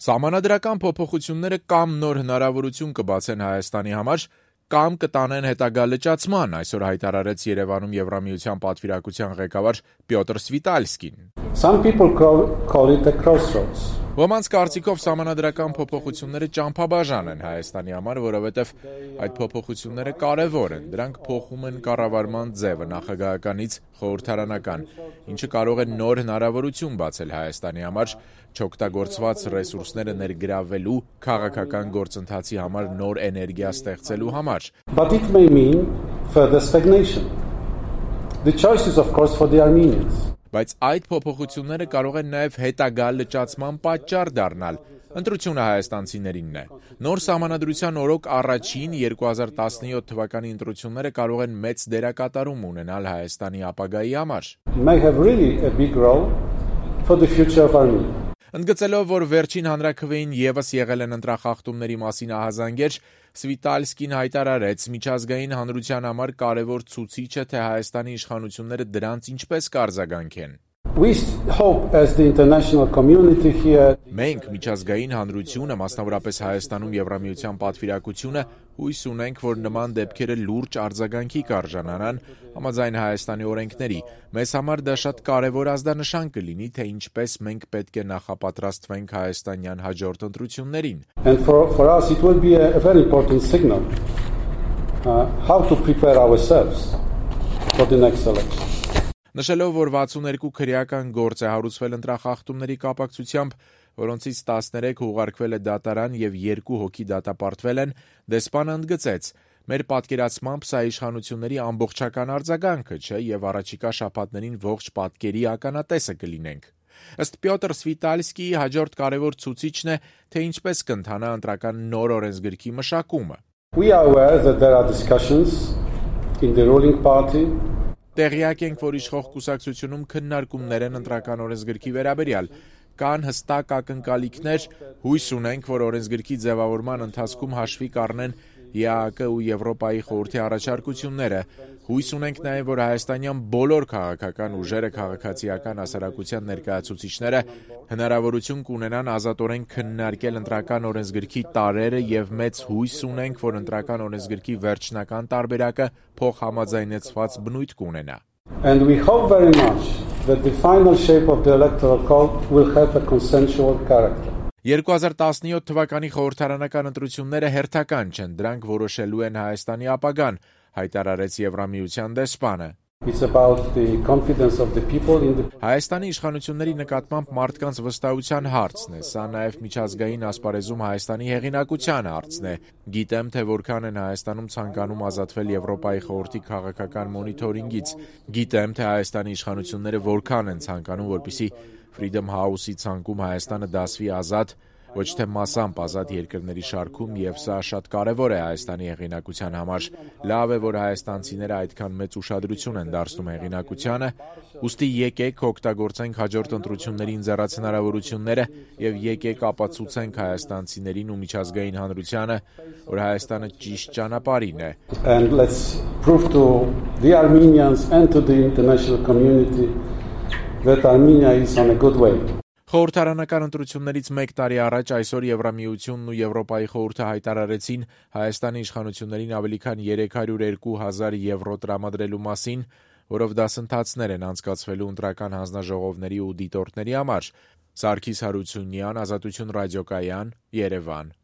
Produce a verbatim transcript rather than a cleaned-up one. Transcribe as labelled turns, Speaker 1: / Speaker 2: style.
Speaker 1: Սահմանադրական փոփոխությունները կամ նոր հնարավորություն կբացեն Հայաստանի համար, կամ կտանեն հետագա լճացման, այսօր հայտարարեց Երևանում Եվրամիության պատվիրակության ղեկավար Պյոտր Սվիտալսկին։
Speaker 2: Some people call, call it a crossroads.
Speaker 1: Ոմանց կարծիքով սահմանադրական փոփոխությունները ճամփաբաժան են Հայաստանի համար, որովհետև այդ փոփոխությունները կարևոր են, դրանք փոխում են կառավարման ձևը նախագահականից խորհրդարանական, ինչը կարող է նոր հնարավորություն բացել Հայաստանի համար, չօգտագործված ռեսուրսները ներգրավելու, քաղաքական գործընթացի համար նոր էներգիա ստեղծելու համար։
Speaker 2: But it may mean further stagnation. The choice is of course for the Armenians.
Speaker 1: Բայց այդ փոփոխությունները կարող են նաև հետագա լճացման պատճառ դառնալ։ Ընտրությունը հայաստանցիներինն է։ Նոր սահմանադրության օրոք առաջին երկու հազար տասնյոթ թվականի ընտրությունները կարող են մեծ դերակատարում ունենալ Հայաստանի ապագայի համար։
Speaker 2: May have really a big role for the future of Armenia.
Speaker 1: Ընդգծելով, որ վերջին հանրաքվեին ևս եղել են ընտրախախտումների մասին ահազանգեր, Սվիտալսկին հայտարարեց, միջազգային հանրության համար կարևոր ցուցիչ է, թե Հայաստանի իշխանությունները դրանց ինչպես կարձագանքեն։
Speaker 2: We hope as the international community here.
Speaker 1: Մենք միջազգային հանրությունը, մասնավորապես Հայաստանում Եվրամիության պատվիրակությունը, հույս ունենք, որ նման դեպքերը լուրջ արձագանքի կարժանանան համաձայն Հայաստանի օրենքների։ Մեզ համար դա շատ կարևոր ազդանշան կլինի, թե ինչպես մենք պետք է նախապատրաստվենք հայաստանյան հաջորդ ընտրություններին։
Speaker 2: And for, for us it will be a, a very important signal uh, how to prepare ourselves for the next election.
Speaker 1: Նշելով, որ վաթսունհերկու քրեական գործ է հարուցվել ընտրախախտումների կապակցությամբ, որոնցից տասներեք ուղարկվել է դատարան եւ երկու հոգի դատապարտվել են, դեսպանը ընդգծեց. մեր պատկերացմամբ սա իշխանությունների ամբողջական արձագանքը չէ եւ առաջիկա շաբաթներին ողջ պատկերի ականատեսը կլինենք։ Ըստ Պյոտր Սվիտալսկիի հաջորդ կարևոր ցուցիչն է, թե ինչպես կընթանա ընտրական նոր օրենսգրքի մշակումը։
Speaker 2: We are aware that there are discussions in the ruling party.
Speaker 1: Տեղյակ ենք, որ իշխող կուսակցությունում քննարկումներ են ընտրական օրենսգրքի վերաբերյալ, կան հստակ ակնկալիքներ, հույս ունենք, որ օրենսգրքի ձևավորման ընթացքում հաշվի կառնեն Է Ա Կ ու Եվրոպայի խորհրդի առաջարկությունները, հույս ունենք նաև, որ հայաստանյան բոլոր քաղաքական ուժերը, քաղաքացիական հասարակության ներկայացուցիչները հնարավորություն կունենան ազատորեն քննարկել ընտրական օրենսգրքի տարրերը եւ մեծ հույս ունենք, որ ընտրական օրենսգրքի վերջնական տարբերակը փոխհամաձայնեցված բնույթ կունենա։
Speaker 2: And we hope very much that the final shape of the electoral code will have a consensual character.
Speaker 1: երկու հազար տասնյոթ թվականի խորհրդարանական ընտրությունները հերթական չեն, դրանք որոշելու են Հայաստանի ապագան, հայտարարեց Եվրամիության դեսպանը։
Speaker 2: It's about the confidence of the people in the
Speaker 1: Հայաստանի իշխանությունների նկատմամբ մարդկանց վստահության հարցն է, սա նաև միջազգային ասպարեզում Հայաստանի հեղինակության հարցն է։ Գիտեմ, թե որքան են Հայաստանում ցանկանում ազատվել Եվրոպայի խորհրդի քաղաքական մոնիթորինգից։ Գիտեմ, թե Հայաստանի իշխանությունները որքան են ցանկանում, որպեսզի Freedom House-ի ցանկում Հայաստանը դասվի ազատ, ոչ թե մասամբ ազատ երկրների շարքում, եւ սա շատ կարևոր է Հայաստանի հեղինակության համար։ Լավ է, որ հայաստանցիները այդքան մեծ ուշադրություն են դարձնում հեղինակությանը, ուստի եկեք օգտագործենք հաջորդ ընտրությունների ընձեռած հնարավորությունները եւ եկեք ապացուցենք հայաստանցիներին ու միջազգային հանրությանը, որ Հայաստանը ճիշտ ճանապարհին է։
Speaker 2: And let's prove to the Armenians and to the international community that Armenia is on a good way.
Speaker 1: Խորհրդարանական ընտրություններից մեկ տարի առաջ այսօր Եվրամիությունն ու Եվրոպայի խորհուրդը հայտարարեցին Հայաստանի իշխանություններին ավելի քան երեք հարյուր երկու հազար եվրո տրամադրելու մասին, որով դասընթացներ են անցկացվելու ընտրական հանձնաժողովների ու դիտորդների համար։ Սարգիս Հարությունյան, Ազատություն ռադիոկայան, Երևան։